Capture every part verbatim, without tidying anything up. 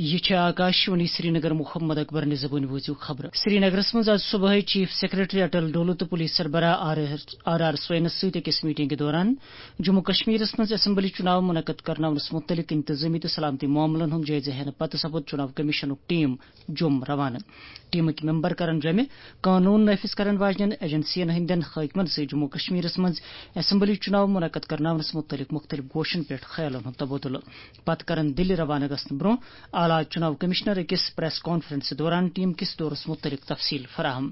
یہِ چھِ آکاشوانی سرینگر۔ محمد اکبر نِزبُنۍ بوٗزِو خبرٕ۔ سرینگرس منٛز آز صبحٲے چیف سیکرٹری اٹل ڈولو تہٕ پولیس سربراہ آر آر، آر آر سوینس سۭتۍ أکِس میٹنگہِ دوران جموں کشمیرس منٛز اسمبلی چُناو منعقد کرناونس مُتعلق انتظٲمی تہٕ سلامتی معاملن ہُنٛد جٲیزٕ ہٮ۪نہٕ پتہٕ سپُد چُناو کمیشنُک ٹیم جوٚم روانہٕ۔ ٹیمٕکۍ ممبر کرن جوٚمہِ قونوٗن نافذ کرن واجنٮ۪ن ایجنسین ہٕنٛدٮ۪ن حٲکمن سۭتۍ جموں کشمیرس منٛز اسمبلی چُناو منعقد کرناونس مُتعلق مُختٔلِف گوشن پٮ۪ٹھ خیالن ہُنٛد تبادلہٕ۔ پتہٕ کرن دِلہِ روانہٕ گژھنہٕ برٛونٛہہ اعلیٰ چُناو کمشنر أکِس پریس کانفرنسہِ دوران ٹیم کِس دورس مُتعلق تفصیل فراہم۔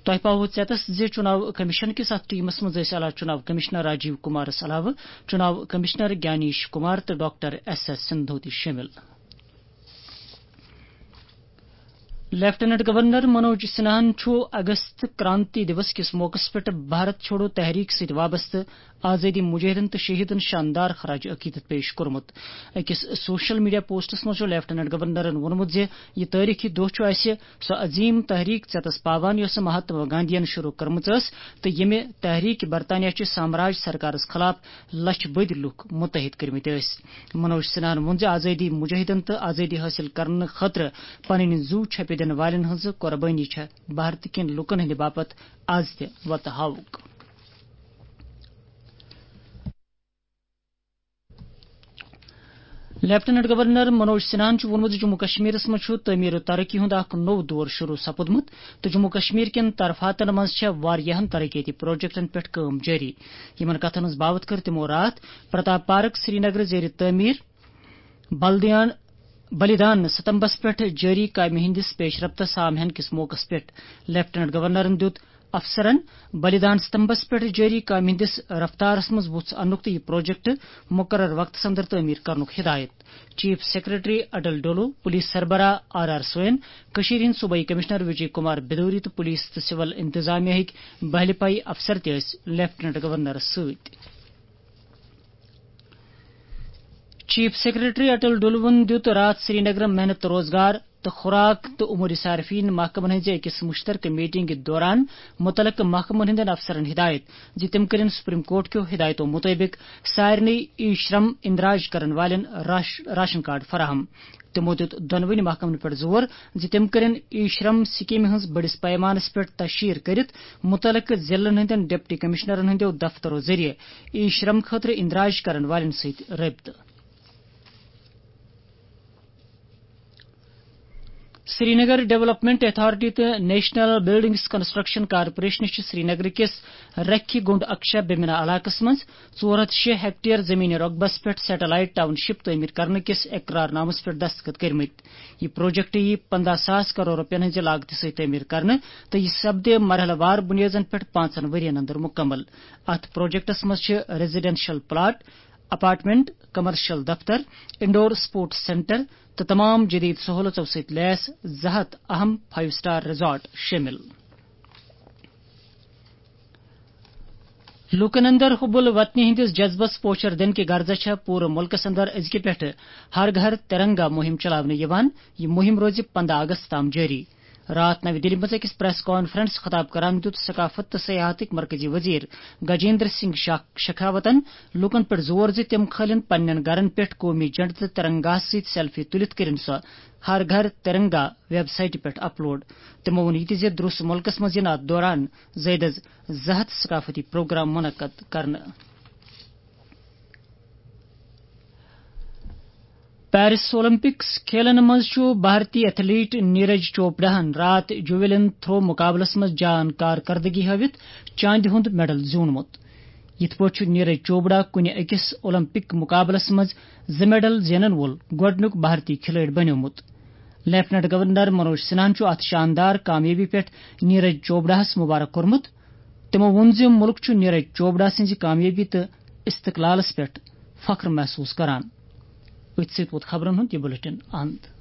تۄہہِ پاوو ژیتس زِ چُناو کمیشن کِس اتھ ٹیمس منٛز ٲسۍ اعلیٰ چُناو کمشنر راجیو کمارس علاوٕ چُناو کمشنر گیانیش کمار تہٕ ڈاکٹر ایس ایس سندھو تہِ شٲمِل۔ لیفٹیننٹ گورنر منوج سنہاہن چھُ اگست کرانتی دیوس کِس موقعس پٮ۪ٹھ بھارت چھوڑو تحریک سۭتۍ وابستہٕ آزٲدی مجاہدن تہٕ شہیدن شاندار خراج عقیدت پیش کوٚرمُت۔ أکِس سوشل میڈیا پوسٹس منٛز چھُ لیفٹیننٹ گورنرن ووٚنمُت زِ یہِ تٲریخی دۄہ چھُ اَسہِ سۄ عظیم تحریک ژیتس پاوان یۄسہٕ مہاتما گاندھین شروع کٔرمٕژ ٲس تہٕ ییٚمہِ تحریک برطانیہ چہِ سامراج سرکارس خلاف لچھ بٔدۍ لوٗکھ متحد کٔرمٕتۍ ٲسۍ۔ منوج سنہاہن ووٚن زِ آزٲدی مجاہدن تہٕ آزٲدی حٲصِل کرنہٕ خٲطرٕ پنٕنۍ زُو چھپہِ دِنہٕ والٮ۪ن ہٕنٛز قۄربٲنی چھےٚ بھارت کٮ۪ن لوٗکن ہٕنٛدِ باپتھ از تہِ وتہٕ ہاوُک۔ لیفٹیننٹ گورنر منوج سنہاہن چھُ ووٚنمُت زِ جموں کشمیرس منٛز چھُ تعمیر و ترقی ہُنٛد اکھ نوٚو دور شروع سپُدمُت تہٕ جموں کشمیر کٮ۪ن ترفاتن منٛز چھےٚ واریاہن ترقیتی پروجیکٹن پٮ۪ٹھ کٲم جٲری۔ یِمن کتھن ہٕنٛز باوتھ کٔر تِمو راتھ پرتاپ پارک سرینگر زیر تعمیر بلدیان، بلیدان ستمبس پٮ۪ٹھ جٲری کامہِ ہٕنٛدِس پیش رفتس سامعن کِس موقعس پٮ۪ٹھ لیفٹیننٹ گورنرن دیُت افسرن بلیدان ستمبس پٮ۪ٹھ جٲری کامہِ ہٕنٛدِس رفتارس منٛز وُژھ اننُک تہٕ یہِ پروجیکٹ مقرر وقتس اندر تعمیر کرنُک ہدایت۔ چیف سیکرٹری اٹل ڈولو، پولیس سربراہ آر آر سوین، کٔشیٖرِ ہٕنٛدۍ صوبٲئی کمشنر وجے کمار بدوری تہٕ پولیس تہٕ سول انتظامیہ ہٕکۍ بہلہِ پایہِ افسر تہِ ٲسۍ لیفٹیننٹ گورنرس سۭتۍ۔ چیف سیکرٹری اٹل ڈولوَن دیُت راتھ سرینگرٕ محنت روزگار تہٕ خوراک تہٕ امور صارفین محکمن ہٕنٛزِ أکِس مشترکہٕ میٹنگہِ دوران متعلقہٕ محکمن ہٕنٛدٮ۪ن افسرن ہدایت زِ تِم کٔرِن سپریم کورٹ کیو ہدایتو مطٲبق سارنٕے ای شرم اندراج کرن والٮ۪ن راش-، راشن کارڈ فراہم۔ تِمو دیُت دۄنوٕنی محکمن پٮ۪ٹھ زور زِ تِم کٔرِن ای شرم سکیمہِ ہٕنٛز بٔڑِس پیمانس پٮ۪ٹھ تشہیر کٔرِتھ متعلقہٕ ضلعن ہٕنٛدٮ۪ن ڈپٹی کمشنرن ہٕنٛدٮ۪و دفترو ذٔریعہٕ ای شرم خٲطرٕ اندراج کرن والٮ۪ن سۭتۍ رٲبطہٕ۔ سرینگر ڈیولپمنٹ اتھارٹی تہٕ نیشنل بلڈنگز کنسٹرکشن کارپوریشن چھِ سرینگر کِس رکھِ گنڈ اکشا بمنا علاقس منٛز ژور ہتھ شےٚ ہیکٹیئر زمین رقبس پٮ۪ٹھ سیٹلائٹ ٹاؤن شپ تعمیر کرنہٕ کِس اقرار نامس پٮ۪ٹھ دستخط کٔرمٕتۍ۔ یہِ پروجیکٹ یِیہِ پندہ ساس کرور رۄپین ہٕنٛزِ لاگتہِ سۭتۍ تعمیر کرنہٕ تہٕ یہِ سپدِ مرحلہٕ وار بُنیٲدن پٮ۪ٹھ پانٛژن ؤرین اندر مُکمل۔ اتھ پروجیکٹس منٛز چھِ ریزیڈنشل پلاٹ، اپارٹمنٹ، کمرشل دفتر، انڈور سپورٹس سینٹر تہٕ تمام جدید سہولژو سۭتۍ لیس زٕ ہتھ اہم فائیو سٹار ریزارٹ شٲمِل۔ لوٗکن اندر حب الوطنی ہٕنٛدِس جذبس پوچھر دِنہٕ کہِ غرضہٕ چھےٚ پوٗرٕ مُلکس اندر أزکہِ پٮ۪ٹھٕ ہر گھر ترنگا مُہِم چلاونہٕ یِوان۔ یہِ مُہِم روزِ پندہ اگست تام جٲری۔ راتھ نَوِ دِلہِ منٛز أکِس پریس کانفرنس خطاب کران دیُت ثقافت تہٕ سیاحتٕکۍ مرکزی وزیر گجیندر سنگھ شاک-، شیخاوتن لوٗکن پٮ۪ٹھ زور زِ تِم کھٲلِن پننٮ۪ن گرن پٮ۪ٹھ قومی جھنڈٕ تہٕ ترنگاہس سۭتۍ سیلفی تُلِتھ کٔرِن سۄ ہر گھر ترنگا ویب سائٹہِ پٮ۪ٹھ اپلوڈ۔ تِمو ووٚن یہِ تہِ زِ درٛوس مُلکس منٛز یِن اتھ دوران زٲیدٕ زٕ ہتھ ثقافتی پروگرام منعقد کرنہٕ۔ پیرس اولمپکس کھیلن منٛز چھُ بھارتی ایتھلیٹ نیرج چوپڑاہن راتھ جویلن تھرو مقابلس منٛز جان کارکردگی ہٲوِتھ چاندِ ہُنٛد میڈل زیوٗنمُت۔ یِتھ پٲٹھۍ چھُ نیرج چوپڑا کُنہِ أکِس اولمپک مقابلس منٛز زٕ میڈل زینن وول گۄڈٕنیُک بھارتی کھلٲڑۍ بنیومُت۔ لیفٹیننٹ گورنر منوج سنہاہن چھُ اتھ شاندار کامیٲبی پٮ۪ٹھ نیرج چوپڑاہس مبارک کوٚرمُت۔ تِمو ووٚن زِ مُلک چھُ نیرج چوپڑا سٕنٛزِ کامیٲبی تہٕ استقلالس پٮ۪ٹھ فخر محسوس کران۔ أتھۍ سۭتۍ ووت خبرن ہُنٛد یہِ بلیٹن اند۔